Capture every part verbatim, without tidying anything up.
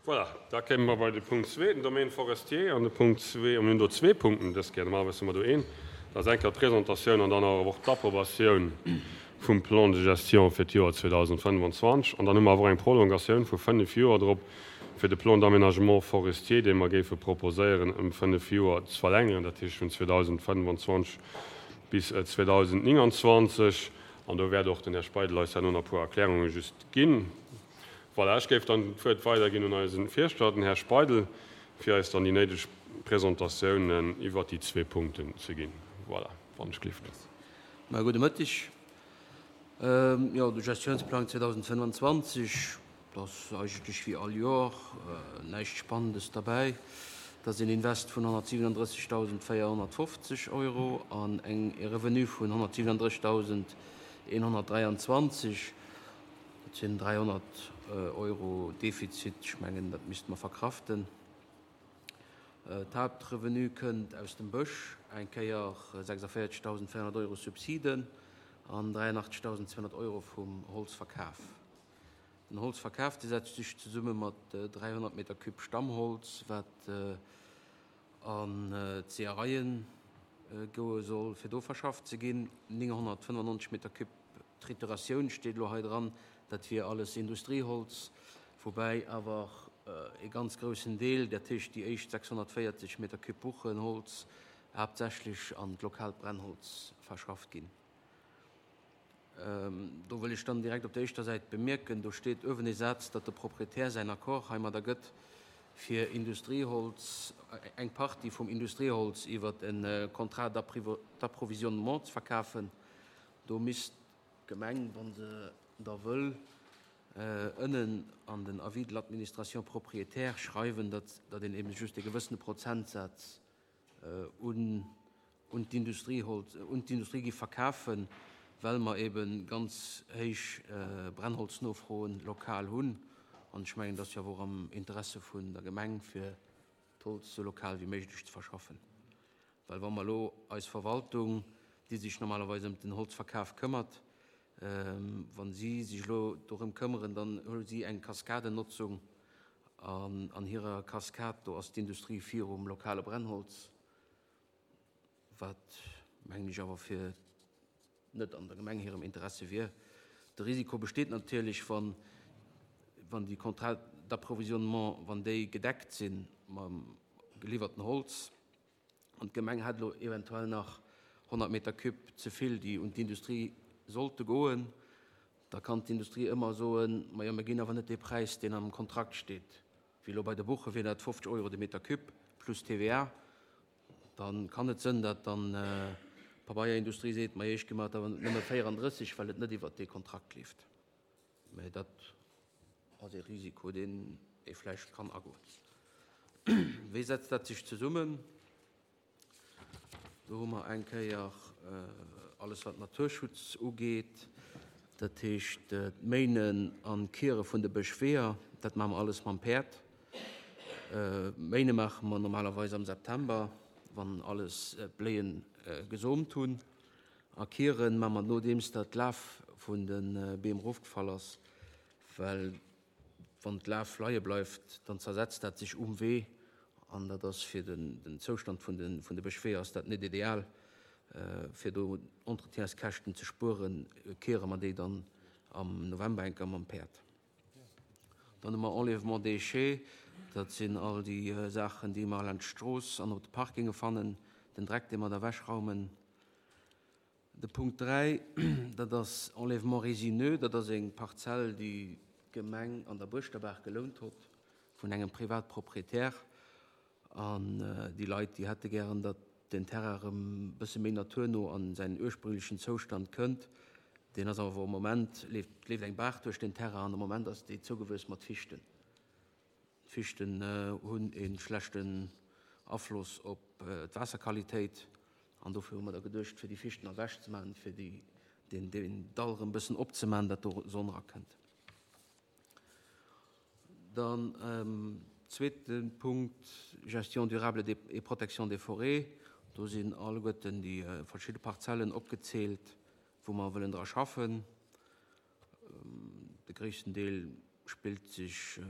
Voilà, da kéime mer bei de Punkt zwee, den Domaine forestier. An de Punkt zwee, mir hunn do zwee Punkten dës Kéier, normalerweis hu mer do een, dat ass eng Kéier d'Presentatioun an dann awer och d'Approbatioun vum Plan de gestion fir d'Joer zweedausendfënnwanzwanzeg. An dann hu mer awer och eng Prolongatioun vu fënnef Joer drop fir de Plan d'aménagement forestier, dee mer géife proposéieren, ëm fënnef Joer ze verlängeren, dat heescht vun zweedausendfënnwanzwanzeg bis zweedausendnénganzwanzeg. An do wäert och den Här Speidel eis herno nach e puer Erklärunge just ginn. Voilà, ech géif dann d'Wuert weiderginn un eise Fierschter, den Här Speidel, fir eis dann déi néideg Presentatiounen iwwert déi zwee Punkten ze ginn. Voilà, wann ech gelift. Mä gudde Mëtteg. Jo, de Gestiounsplang zweedausendfënnwanzwanzeg, dat ass eigentlech wéi all Joer, näischt Spannendes derbäi. Dat ass een Invest vun honnertsiwenundrëssigdausendvéierhonnertfofzeg Euro an eng e Revenu vun honnertsiwenunddrëssigdausendeenhonnertdräianzwanzeg. Dat sinn dräihonnert Euro Defizit. Ech mengen, dat misste mer verkraften. D'Haaptrevenu kënnt aus dem Bësch, eng Kéier sechsundvéierzigdausendvéierhonnert Euro Subsiden an dräiundachtzigdausendzweehonnert Euro vum Holzverkaf. Den Holzverkaf, dee setzt sech zesumme mat dräihonnert Meter Cube Stammholz, wat an d'Seeëreien goe soll, fir do verschafft ze ginn. Nénghonnertfënnefannonzeg Meter Cube Trituratioun steet elo hei dran, dat wier alles Industrieholz, woubäi awer e ganz groussen Deel, dat heescht déi éischt sechshonnertvéierzeg Meter Cube Buchenholz, haaptsächlech an d'lokaalt Brennholz verschafft ginn. Do wëll ech dann direkt op der éischter Säit bemierken, do steet uewen ee Saz, datt de Proprietär säin Accord heimadder gëtt, fir Industrieholz, eng Partie vum Industrieholz iwwer e Contrat d'approvisionnement ze verkafen. Do misst d'Gemeng, wa se da wëll, ënnen an den Avis de l'administration propriétaire schreiwen, datt een eben just e gewëssene Prozentsaz un un d'Industrieholz, un d'Industrie gi verkafen, well mer eben ganz héich Brennholznofroen lokal hunn. An ech mengen, dat ass jo awer och am Interesse vun der Gemeng, fir d'Holz esou lokal wéi méiglech ze verschaffen. Well wa mer elo eis Verwaltung, déi sech normalerweis ëm den Holzverkaf këmmert, wa si sech elo dorëm këmmeren, dann hu si eng Kaskadennotzung. An an hirer Kaskad, do ass d'Industrie virum lokale Brennholz, wat, mengen ech, awer fir net an der Gemeng hirem Interesse wier. De Risiko besteet natierlech, wann, wann déi Contrats d'approvisionnement, wann déi gedeckt si mam geliwwerten Holz an d'Gemeng hätt elo eventuell nach honnert Meter cube ze vill, déi un d'Industrie sollte goen, da kann d'Industrie ëmmer soen, majo, mir ginn awer net dee Präis, deen am Kontrakt steet. Wéi elo bei de Buche wier dat fofzeg Euro de Meter cube plus T V A. Dann kann et sënn, datt dann d'Pabeierindustrie seet, majo, ech gi mer et awer nëmme véierandrësseg, well et net iwwert dee Kontrakt leeft. Mä dat ass ee Risiko, deen ee vläicht kann agoen. Wéi setzt dat sech zesummen? Do hu mer eng Kéier alles, wat Naturschutz ugeet, dat heescht d'Méinen an d'Kiere vun de Bëschweeër, dat maache mer alles mam Päerd. Méine maache mer normalerweis am September, wann alles d'Bléien gesomt hunn. A Kiere maache mer nodeems dat d'Laf vun de Beem erofgefall ass, well wann d'Laf leie bleift, dann zersetzt dat sech um Wee an dat ass fir den Zoustand vun de Bëschweeër ass dat net ideal. Fir do Entretienskäschten ze spueren, kiere mer déi dann am November eng Kéier mam Päerd. Dann hu mer Enlèvement déchets, dat sinn all déi Saachen, déi mer laanscht d'Strooss an op de Parkinge fannen, den Dreck, dee mer da ewechraumen. De Punkt dräi, dat ass Enlèvement résineux, dat ass eng Parzell, déi d'Gemeng an der Buerschterbaach gelount hott vun engem Privatproprietär. An déi Leit, déi hätte gären, datt den Terrain erëm e bësse méi naturno an säin ursprünglechen Zoustand kënnt. Deen ass awer am Moment, leeft leeft eng Baach duerch den Terrain an am Moment ass déi zougewuess mat Fichten. D'Fichten hunn e schlechten Afloss op d'Waasserqualitéit an dofir hu mer da geduecht, fir déi Fichten ewech ze maachen, fir déi, deen, deen Dall erëm e bëssen opzemaachen, datt do Sonn erakënnt. Dann zweete Punkt, Gestion durable et protection des forêts. Do sinn alleguerten déi verschidde Parzellen opgezielt, wou mer wëllen dra schaffen. De gréissten Deel spillt sech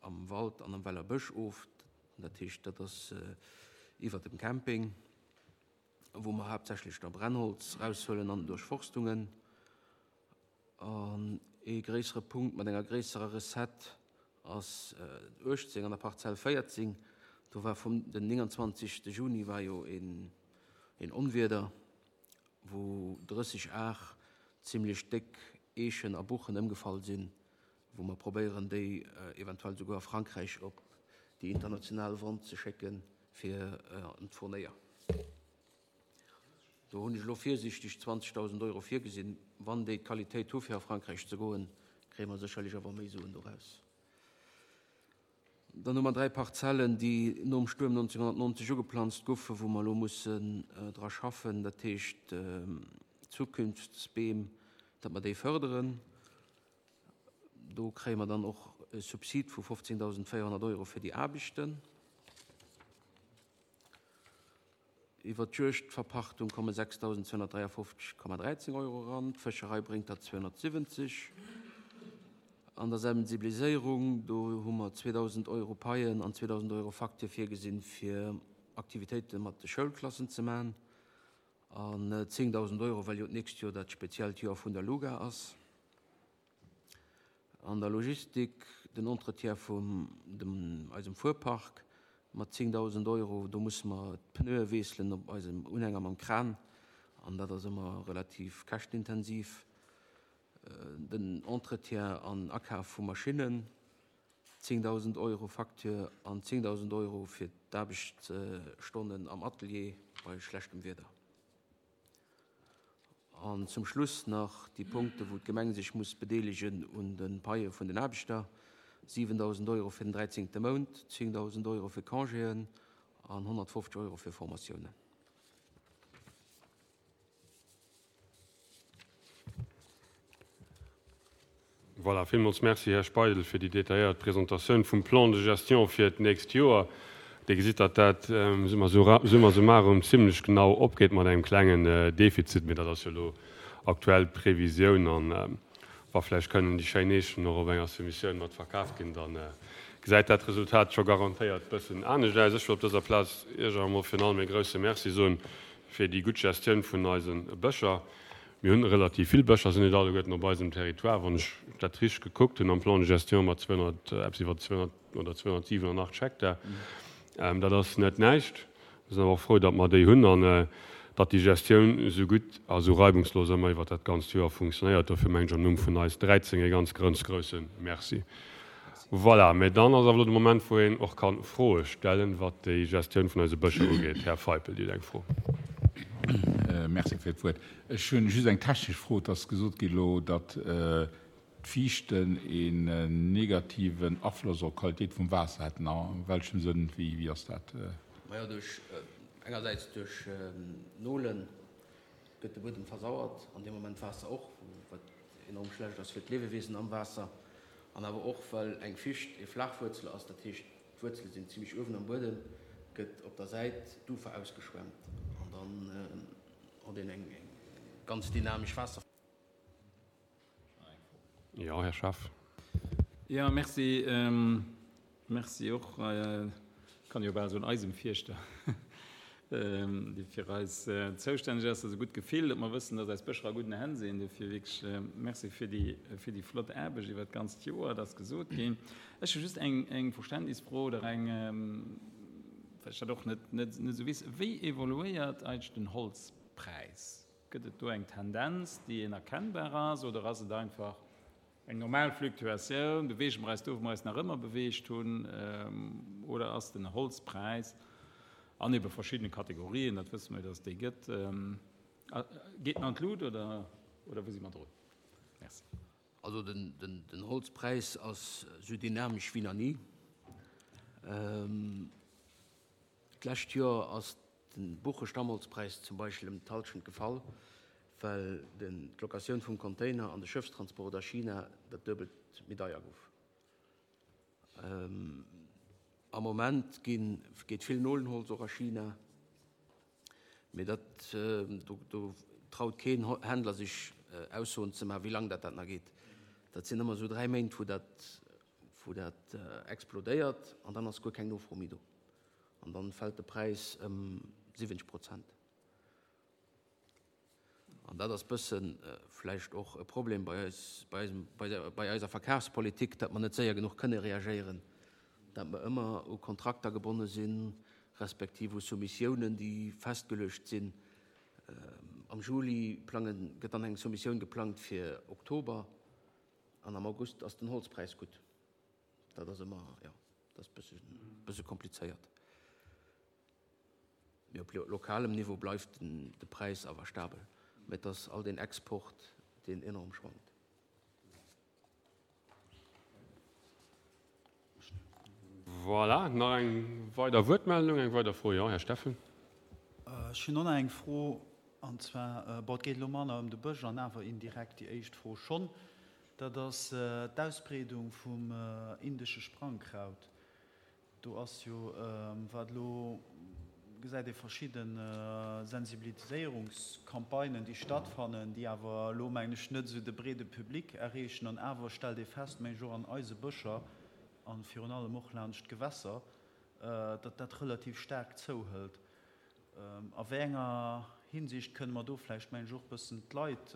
am am Wald an am Weller Bësch of. Dat heescht, dat ass iwwer dem Camping, wou mer haaptsächlech da Brennholz raushuelen an Duerchforstungen. An ee gréissere Punkt mat enger gréisserer Recette ass uechtzéng an der Parzell véierzéng. Do war vum den nénganzwanzegste Juni war jo een een Onwieder, wou drësseg Ar zimlech déck Eechen a Buchen ëmgefall sinn, wou mer probéieren déi eventuell souguer a Frankräich op déi international Vente ze schécke fir an d'Fournéier. Do hunn ech elo virsiichteg zwanzegdausend Euro virgesinn. Wann déi d'Qualitéit hu fir a Frankräich ze goen, kréie mer sécherlech awer méi Suen doraus. Dann hu mer dräi Parzellen, déi nom Stuerm neunzehnhundertneunzeg ugeplanzt goufen, wou mer elo mussen dra schaffen, dat heescht Zukunftsbeem, datt mer déi fërderen. Do kréie mer dann och e Subsid vu fofzéngdausendvéierhonnert Euro fir déi Aarbechten. Iwwer d'Juegdverpachtung komme sechsdausendzweihunnertdräiafofzeg Komma dräizéng Euro eran, d'Fëscherei bréngt der zweihunnertsiwwenzeg. An der Sensibiliséierung, do hu mer zweedausend Euro Paien an zweedausend Euro Facture virgesinn, fir Aktivitéite mat de Schoulklassen ze maachen. An zéngdausend Euro, well jo d'nächst Joer dat speziellt Joer vun der Luga ass. An der Logistik, den Entretien vum dem eisem Fuerpark mat zéngdausend Euro, do musse mer d'Pneue wiesselen op eisem Unhänger mam Kran an dat ass ëmmer relativ käschtenintensiv. Den Entretien an Akaf vu Maschinnen, zéngdausend Euro Facture an zéngdausend Euro fir d'Aarbechtsstonnen am Atelier bei schlechtem Wieder. An zum Schluss nach déi Punkte wou d'Gemeng sech muss bedeelegen un de Paie vun den Aarbechter, siwendausend Euro fir den dräizéngte Mount, zéngdausend Euro fir Congéen an honnertfofzeg Euro fir Formatiounen. Voilà, villmools Merci, Här Speidel, fir déi detailléiert Presentatioun vum Plan de gestion fir d'nächst Joer. Dir gesitt, datt dat summa summarum zimlech genau opgeet mat engem klengen Defizit, mee dat ass jo elo aktuell Previsioun. An wa vläicht kënnen déi schéin Eechen och op enger Soumissioun mat verkaaft ginn, da gesäit dat Resultat scho garantéiert bëssen anescht aus. Ech wëll op dëser Plaz Iech awer emol virun allem e grouse Merci soen fir déi gutt Gestioun vun eise Bëscher. Mir hunn relativ vill Bëscher, sinn net alleguerten op eisem Territoire, wann ech dat richteg gekuckt hunn am Plan de gestion mat zweehonnert, eppes iwwer zweehonnert oder zweehonnertsiwenundachteg Hektar. Dat ass net näischt. Mir sinn awer och frou, datt mer déi hunn an datt déi Gestioun esou gutt a esou reibungslos ëmmer iwwer dat ganzt Joer funktionéiert. Dofir mengen ech am Numm vun eis dräizéng e ganz grënz grouse Merci. Voilà, mä dann ass awer elo de Moment, wou een och ka Froe stellen, wat déi Gestioun vun eise Bëscher ugeet. Här Feipel, Dir hutt eng Fro. Merci fir d'Wuert. Ech hunn just eng technesch Fro. Et ass gesot gi elo, datt d'Fiichten een negativen Afloss op d'Qualitéit vum Waasser hätten. A welchem Sënn? Wéi ass dat? Majo, duerch, engersäits duerch d'Nolen gëtt de Buedem versauert, an deem Moment d'Waasser och, wat enorm schlecht ass fir d'Liewewiesen am Waasser. An awer och, well eng Ficht ee Flaachwuerzel ass, dat heescht d'Wuerzele sinn zimmlech uewen am Buedem, gëtt op der Säit d'Ufer ausgeschwemmt an dann huet een eng ganz dynamesch Waasser. Jo, Här Schaaf. Jo, merci. Merci och, kann jo bal soen, eisem Fierschter, dee fir eis zoustänneg ass. Dat ass e gutt Gefill, datt mer wëssen, datt eis Bëscher a gudden Hänn sinn. Dofir wierklech Merci fir déi, fir déi flott Aarbecht iwwert d'ganzt Joer. Dat ass gesot ginn. Ech hu just eng, eng Verständnisfro oder eng, well ech dat och net, net esou weess. Wéi evoluéiert eigentlech den Holzpräis? Gëtt et do eng Tendenz, déi een erkennbar ass, oder ass et einfach eng normal Fluktuatioun, beweege mer eis do, wou mer eis nach ëmmer beweegt hunn, oder ass den Holzpräis an ebe verschiddene Kategorien, dat wësse mer jo, datt et déi gëtt, geet en an d'Lut oder, oder wou si mer drun? Merci. Also den, den, den Holzpräis ass esou dynamesch wéi nach ni. D'lescht Joer ass de Buchestammholzpräis zum Beispill ëm d'Hallschent gefall, well den, d'Locatioun vum Container an de Schëffstransport a China dat Duebelt méi deier gouf. Am Moment ginn, geet vill Nolenholz och a China, mee dat, do, do traut keen Händler sech Aussoen ze maachen, wéi laang dat dat nach geet. Dat sinn ëmmer esou dräi Méint, wou dat, wou dat explodéiert an dann ass guer keng Nofro méi do. An dann fält de Präis ëm siwwenzeg Prozent. An dat ass bëssen vläicht och e Problem bei eis, bei eisem, bei der, bei eiser Verkafspolitik, datt mer net séier genuch kënne reagéieren, datt mer ëmmer u Kontrakter gebonne sinn, respektiv u Soumissiounen, déi festgeluecht sinn. Am Juli plangen, gëtt dann eng Soumissioun geplangt fir Oktober an am August ass den Holzpräis gutt. Dat ass ëmmer, jo, dat ass bësse, bësse komplizéiert. Mee op lokalem Niveau bleift den, de Präis awer stabel. Mee et ass all deen Export, deen enorm schwankt. Voilà, nach eng weider Wuertmeldung, eng weider Fro. Jo, Här Steffen. Ech hunn och nach eng Fro, an zwar, bon, et geet elo manner ëm de Bësch an awer indirekt déi éischt Fro schonn. Dat ass d'Ausbreedung vum indesche Sprangkraut. Do ass jo, wat elo gesäit ee verschidde Sensibiliséierungscampagnen, déi stattfannen, déi awer elo, mengen ech, net esou de breede Public erreechen. An awer stellt ee fest, mengen ech, och an eise Bëscher a virun allem och laanscht d'Gewässer, datt dat relativ staark zouhëlt. A wéi enger Hinsicht kënne mer do vläicht, mengen ech, och e bëssen d'Leit,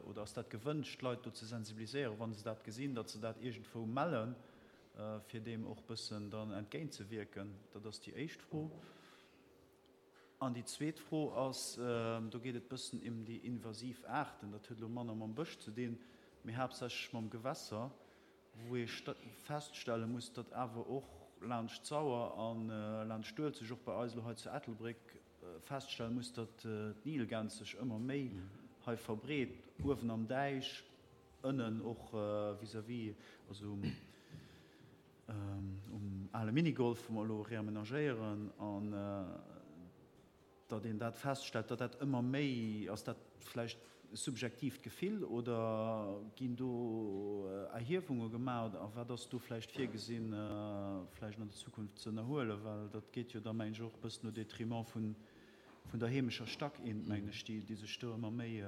oder ass dat gewënscht, d'Leit do ze sensibiliséieren, wa se dat gesinn, datt se dat iergendwou mellen, fir deem och e bëssen dann entgéintzewierken? Dat ass déi éischt Fro. An déi zweet Fro ass, do geet et bëssen ém déi invasiv Aarten, dat huet elo manner mam Bësch ze dinn, mee haaptsächlech mam Gewässer, wou ee feststelle muss, datt awer och laanscht d'Sauer a laanscht d'Uelzecht, och bei eis elo hei zu Ettelbréck, feststelle muss, datt d'Nilgäns sech ëmmer méi hei verbreet, uewen am Däich, ënnen och vis-à-vis, also um um ale Minigolf, wou mer elo reamenagéieren, an datt een dat feststellt, datt dat ëmmer méi, ass dat vläicht e subjektiivt Gefill oder ginn do Erhiewunge gemaach a wat ass do vläicht virgesinn, vläicht an der Zukunft ze ënnerhuelen, well dat geet jo da, mengen ech, och e bëssen au détriment vun der heemescher Stackeent, mengen ech, déi sech do ëmmer méi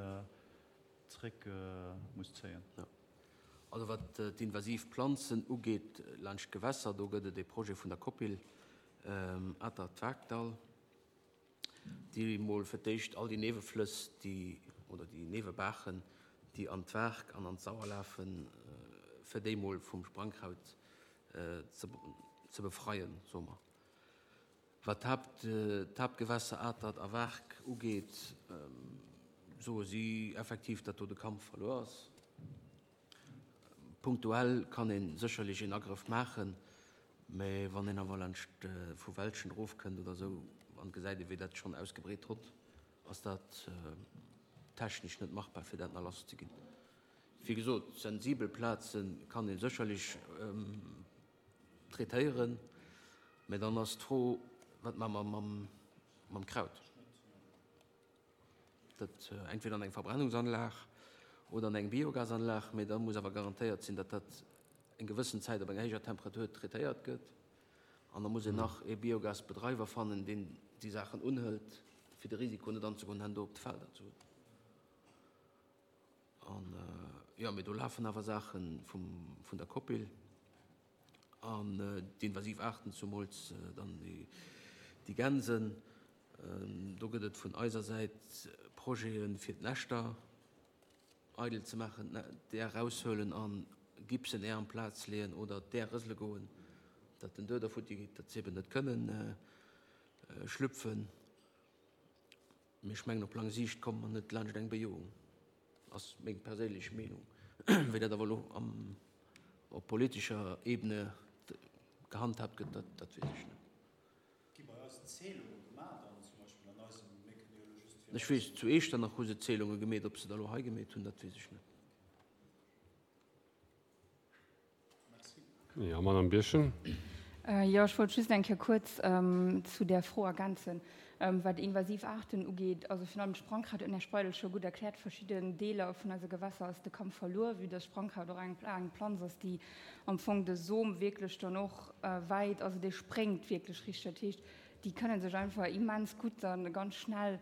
zréck muss zéien. Jo. Also wat d'invasiv Planzen ugeet laanscht d'Gewässer, do gëtt et e Projet vun der Copil Atert-Waarkdall, déi mol fir d'éischt all déi Nieweflëss, déi, oder déi Niewebaachen, déi an d'Waark an an d'Sauer lafen, fir déi mol vum Sprangkraut ze befreien, soe mer. Wat d'Haaptgewässer Atert a Waark ugeet, soe si effektiv, datt do de Kampf verluer ass. Punktuell kann ee sécherlech een Agrëff maachen, mä wann een awer laanscht vu Welschen erofkënnt oder esou an gesäit ee wéi dat schonn ausgebreet hott, ass dat technesch net machbar fir dat nach lass ze ginn. Wéi gesot, sensibel Plaze kann ee sécherlech traitéieren, mä dann ass d'Fro, wat maache mer mam Kraut? Dat entweder an eng Verbrennungsanlag oder an eng Biogasanlag, mee da muss awer garantéiert sinn, datt dat eng gewëssen Zäit op enger héijer Temperatur traitéiert gëtt. An da muss een nach ee Biogasbedreiwer fannen, deen déi Saachen unhëlt, fir de Risiko net anzegoen, herno op de Felder ze hunn. An, jo, mee do lafen awer Saache vum, vun der Copil an d'invasiv Aarten, zumools dann déi Gänsen. Do gëtt et vun eiser Säit Projete fir d'Näschter eidel ze maachen, d'Äer eraushuelen a Gipsen Äer amplaz leeën oder d'Äer rësele goen, datt den Dueder futti geet, datt se eben net kënnen schlüpfen. Mee ech mengen, op laang Siicht komme mer net laanscht eng Bejoung, ass meng perséinlech Meenung. Wéi dat awer elo op politescher Ebene gehandhaabt gëtt, dat weess ech net. Gi bei eis Zählunge gemaach dann zum Beispill an eisem, mir kënne jo elo just fir Ech weess, zu Eechternach hu se Zählunge gemeet, ob se der elo hei gemeet hunn, dat weess ech net. Merci. Jo, Madame Birchen. Jo, ech wollt just eng Kéier kuerz zu där Fro ergänzen, wat invasiv Aarten ugeet. Also virun allem d'Sprangkraut huet den Här Speidel scho gutt erkläert. Verschidden Deeler vun eise Gewässer ass de Kampf verluer, vue dass Sprangkraut och eng eng Planz ass, déi am Fong de Som wierklech dann och wäit, also dee spréngt wierklech richteg. Dat heescht, déi kënne sech einfach immens gutt dann ganz schnell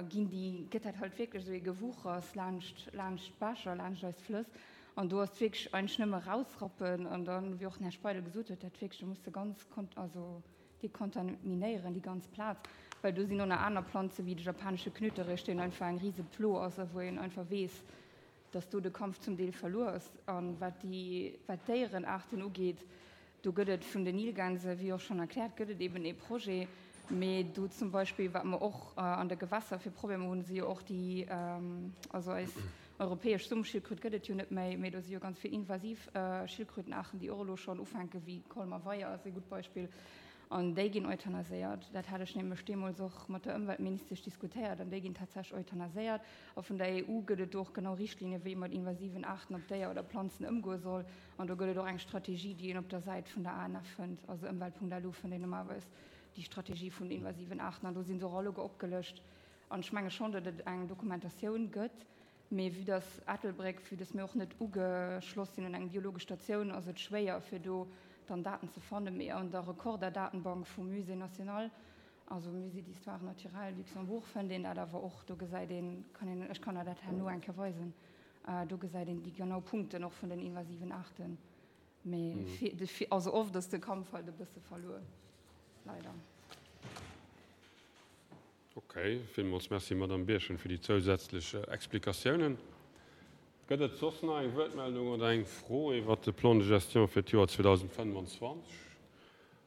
ginn, déi gëtt dat halt wierklech esou ee Gewuchers laanscht laanscht d'Bächer, laanscht eis Flëss. An do ass et wierklech eigentlech nëmme rausrappen an dann, wéi och den Här Speidel gesot huet, dat wierklech, do muss de ganz also dekontaminéieren déi ganz Plaz, well do sinn och nach aner Planze wéi de japanesche Knöterich, deen einfach eng rise Plo ass a wou een einfach weess, dass do de Kampf zum Deel verluer ass. A wat déi, wat d'Déierenaarten ugeet, do gëtt et vun den Nilgänse, wéi och schonn erkläert, gëtt et eben ee Projet. Mee do zum Beispill, wat mer och an de Gewässer fir Problemer hunn, si jo och déi, also eis europäesch Sumpfschildkröt gëtt et jo net méi, mee do si jo ganz vill invasiv Schildkrötenaarten, déi och elo schonn ufänken, wéi Colmer Weier ass ee gutt Beispill, an déi ginn euthanaséiert. Dat hat ech nämlech deemools och mat der Ëmweltministesch diskutéiert, an déi ginn tatsächlech euthanaséiert. A vun der E U gëtt et do och genau Richtlinien, wéi ee mat invasiven Aarten op Déier oder Planzen ëmgoe soll. An do gëtt et och eng Strategie, déi een op der Säit vun der A N F fënnt, also ëmwelt Punkt L U fënnt een normalerweis déi Strategie vun invasiven Aarten, an do si se och alleguer opgelëscht. An ech menge schonn, datt et eng Dokumentatioun gëtt, mee vue dass Ettelbréck, vue dass mir och net ugeschloss sinn un eng biologesch Statioun, ass et schwéier, fir do dann Daten ze fannen. Mee an der Recorder-Datenbank vum Musée national, also Musée d'histoire naturelle Luxembourg, fënnt een dat awer och. Do gesäit een, kann een, ech kann der dat herno eng Kéier weisen, do gesäit een déi genau Punkten och vun den invasiven Aarten. Mee also oft ass de Kampf halt e bësse verluer, leider. Ok, villmools Merci, Madamm Birchen, fir déi zousätzlech Explikatiounen. Gëtt et soss nach eng Wuertmeldung oder eng Fro iwwert de Plan de gestion fir d'Joer zweedausendfënnwanzwanzeg?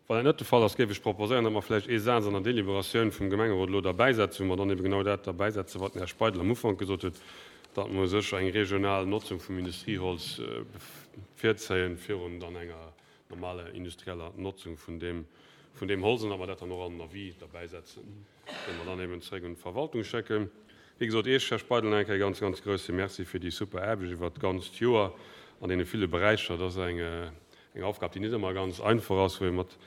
Wann dat net de Fall ass, géif ech proposéieren, datt mer vläicht ee Saz an der Deliberatioun vum Gemengerot elo derbäisetzen, wou mer dann ebe genau dat derbäisetzen, wat den Här Speidel am Ufank gesot huet, datt mer u sech eng regional Notzung vum Industrieholz virzéien, virun dann enger normaler industrieller Notzung vun deem, vun deem Holz, an datt mer dat dann och an den Avis derbäisetzen, dee mer dann eben zréck un d'Verwaltung schécken. Wéi gesot, Iech, Här Speidel, nach eng Kéier e ganz, ganz grouse Merci fir déi super Aarbecht iwwert d'ganzt Joer an deene ville Beräicher. Dat ass eng, eng Aufgab, déi net ëmmer ganz einfach ass, wou ee mat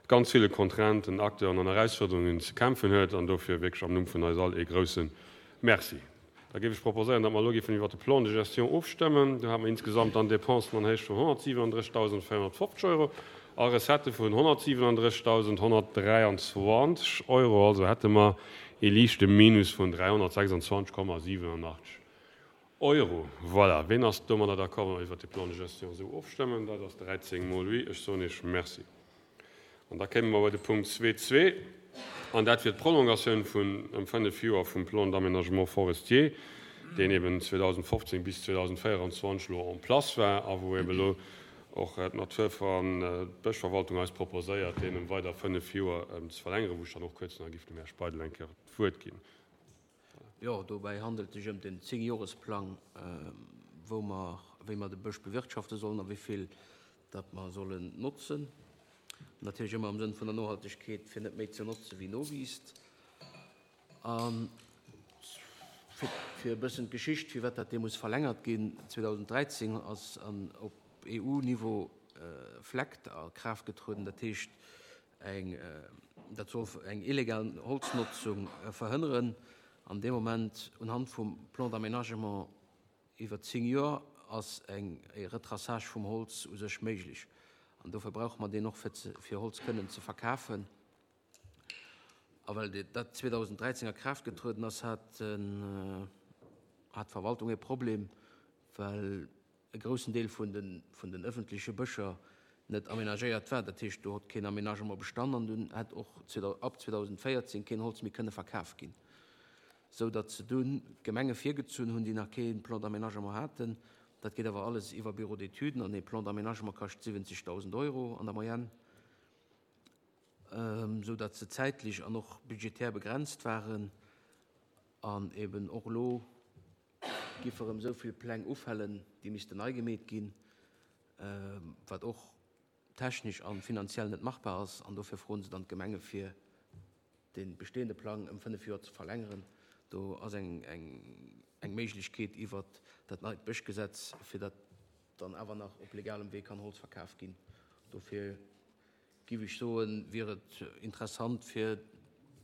ganz ville Contrainten, Acteuren an Erausfuerderungen ze kämpfen huet. An dofir wierklech am Numm vun eis all ee grouse Merci. Da géif ech proposéieren, datt mer elo géifen iwwert de Plan de gestion ofstëmmen. Do hate mer insgesamt dann Dépensen an Héicht vun honnertsiwenendrëssigdausendvéierhonnertfofzeg Euro a Recettë vun honnertsiwenendrëssigdausendhonnertdräianzwanzeg Euro. Also hätte mer ee liichte Minus vun dräihonnertsechsandzwanzeg Komma siwenenachtzeg Euro. Voilà. Ween ass domadder d'accord, wa mer iwwert de Plan de gestion esou ofstëmmen? Dat ass dräizéng mol oui. Ech soen Iech Merci. An da kéime mer bei de Punkt zwee zwee, an dat wier d'Prolongatioun vun ëm fënnef Joer vum Plan d'aménagement forestier, deen eben zweedausendfofzéng bis zweedausendvéieranzwanzeg elo en place war a wou eben elo och d'Natur an d'Bëschverwaltung eis proposéiert, deen ëm weider fënnef Joer ze verlängeren, wou ech dann och kuerz nach giff dem Här Speidel eng Kéier d'Wuert ginn. Jo, dobäi handelt et sech ëm den Zéngjoresplang, wou mer, wéi mer de Bësch bewirtschafte sollen a wéi vill dat mer sollen notzen. Natierlech ëmmer am Sënn vun der Nohaltegkeet, fir net méi ze notze wéi nowiisst. A fir e bëssen d'Geschicht, firwat dat deemools verlängert ginn, zweedausendräizéng ass an op E U-Niveau FLEGT a Kraaft getrueden, dat heescht eng, dat soll eng illegal Holznotzung verhënneren. An deem Moment, unhand vum Plan d'aménagement iwwer zéng Joer, ass eng e Retraçage vum Holz u sech méiglech. An dofir brauche mer deen och, fir ze, fir Holz kënnen ze verkafen. A well dat zweedausendräizéng a Kraaft getrueden ass, hat hat d'Verwaltung e Problem, well e groussen Deel vun den, vun den ëffentleche Bëscher net amenagéiert war. Dat heescht, do huet keen Amenagement bestan an dunn hätt och ab zweedausendvéierzéng keen Holz méi kënne verkaf ginn. Sou datt se dunn d'Gemenge virgezunn hunn, déi nach kee Plan d'aménagement haten. Dat geet awer alles iwwer Bureau d'études an ee Plan d'aménagement kascht siwwenzegdausend Euro an der Moyenne, sou datt se zäitlech an och budgetär begrenzt waren an eben och elo giffe erëm esou vill Pläng ufällen, déi missten nei gemeet ginn, wat och technesch a finanziell net machbar ass. An dofir froen se dann d'Gemenge fir de bestehende Plang ëm fënnef Joer ze verlängeren. Do ass eng eng Méiglechkeet iwwert dat neit Bëschgesetz, fir datt dann awer nach op legalem Wee kann Holz verkaf ginn. Dofir giff ech soen, wier et interessant fir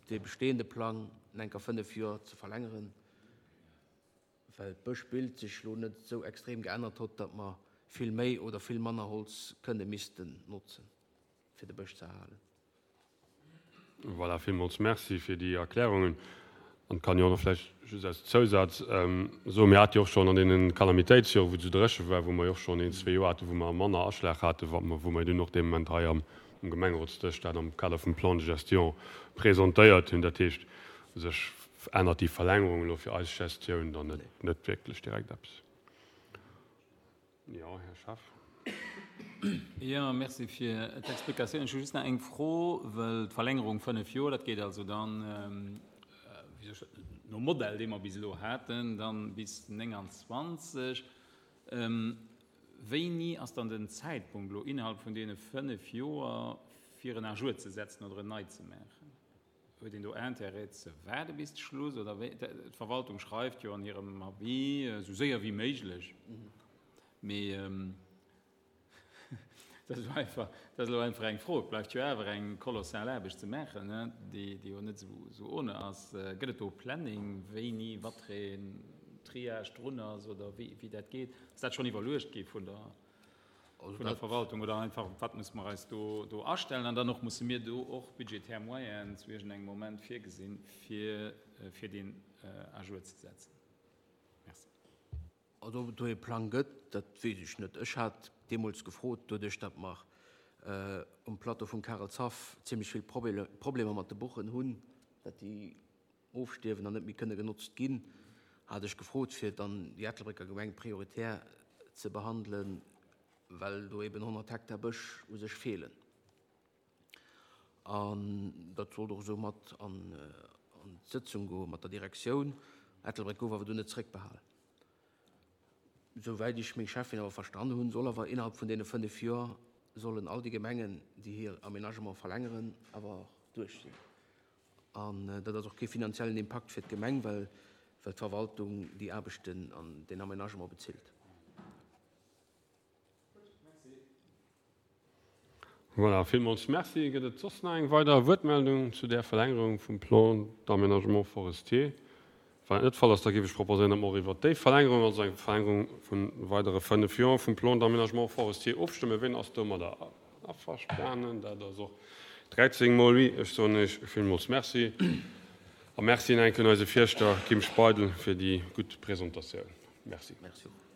dee bestehende Plang enker fënnef Joer ze verlängeren, well d'Bëschbild sech lo net esou extrem geännert hott, datt mer vill méi oder vill manner Holz kënne missten notzen, fir de Bësch ze erhalen. Voilà, villmools Merci fir déi Erklärungen. An kann jo och nach vläicht just als Zousaz soen, mir hate jo och schonn an deene Kalamitéitsjoren, wou et esou dréche war, wou mer jo och schonn een, zwee Joer haten, wou mer manner Aschlag haten, wat mer, wou mer dunn och dee Moment hei am Gemengerotsdësch dat am Kader vum Plan de gestion presentéiert hunn. Dat heescht, u sech ännert déi Verlängerung elo fir eis Gestioun dann net, net wierklech direkt eppes. Jo, Här Schaaf. Jo, merci fir d'Explikatioun. Ech hu just nach eng Fro, well d'Verlängerung fënnef Joer, dat geet also dann, wéi soll ech dat, nom Modell, dee mer bis elo haten, dann bis nénganzwanzeg. Wéini ass dann den Zäitpunkt elo innerhalb vun deene fënnef Joer, fir en à jour ze setzen oder en nei ze maachen? Huet een do Intérêt ze waarde bis de Schluss oder wéi? D'Verwaltung schreift jo an hirem Avis, esou séier wéi méiglech. Mee dat ass elo einfach, dat ass elo einfach eng Fro. Et bleift jo awer eng kolossal Aarbecht ze maachen, déi jo net esou ohne ass. Gëtt et do e Planning, wéini wattereen Triage drun ass oder wéi dat geet? Ass dat schonn iwwerluecht gi vun der, vun der Verwaltung oder einfach, wat musse mer eis do, do astellen? An dann och, musse mir do och budgetär Moyenen zu iergendengem Moment virgesinn, fir, fir deen à jour ze setzen? Merci. Also ob et do ee Plang gëtt, dat weess ech net. Ech hat deemools gefrot, doduerch datt mer um Plateau vum Karelshaff zimlech vill Problemer mat de Buchen hunn, datt déi ofstierwen an net méi kënne genotzt ginn, hat ech gefrot, fir dann déi Ettelbrécker Gemeng prioritär ze behandelen, well do eben honnert Hektar Bësch u sech feelen. An dat sollt och esou mat an d'Sëtzung goe mat der Direktioun. Ettelbréck gouf awer dunn net zréckbehalen. Souwäit ech meng Cheffin awer verstanen hunn, soll awer innerhalb vun deene fënnef Joer sollen all déi Gemengen, déi hir Aménagement verlängeren, awer och duerch sinn. An dat ass och kee finanziellen Impakt fir d'Gemeng, well d'Verwaltung déi Aarbechten an deen Aménagement bezilt. Voilà, villmools Merci. Gëtt et soss nach eng weider Wuertmeldung zu där Verlängerung vum Plan d'aménagement forestier? Wann dat net de Fall ass, da géif ech proposéieren, datt mer och iwwert déi Verlängerung, also eng Verlängerung vu weidere fënnef Joer vum Plan d'aménagement forestier ofstëmmen. Wien ass domadder averstanen? Dat ass och dräizéng mol oui. Ech soen Iech villmools Merci a Merci nach eng Kéier un eise Fierschter Kim Speidel fir déi gutt Presentatioun. Merci. Merci och.